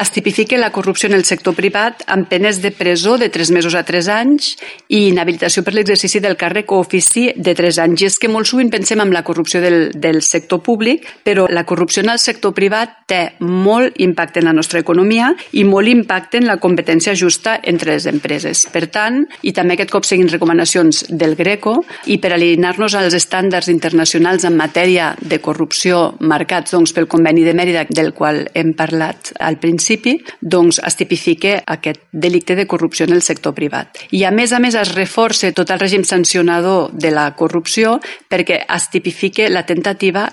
es tipifica la corrupció en el sector privat amb penes de presó de 3 mesos a 3 anys i inhabilitació per l'exercici del càrrec o ofici de 3 anys. I és que molt sovint pensem en la corrupció del sector públic, però la corrupció en el sector privat té molt impacte en la nostra economia i molt impacte en la competència justa entre les empreses. Per tant, i també aquest cop seguint recomanacions del Greco, i per alinear-nos als estàndards internacionals en matèria de corrupció marcats pel Conveni de Mèrida, del qual hem parlat al principi, es tipifica aquest delicte de corrupció en el sector privat. I a més es reforça tot el règim sancionador de la corrupció perquè es tipifica la temptativa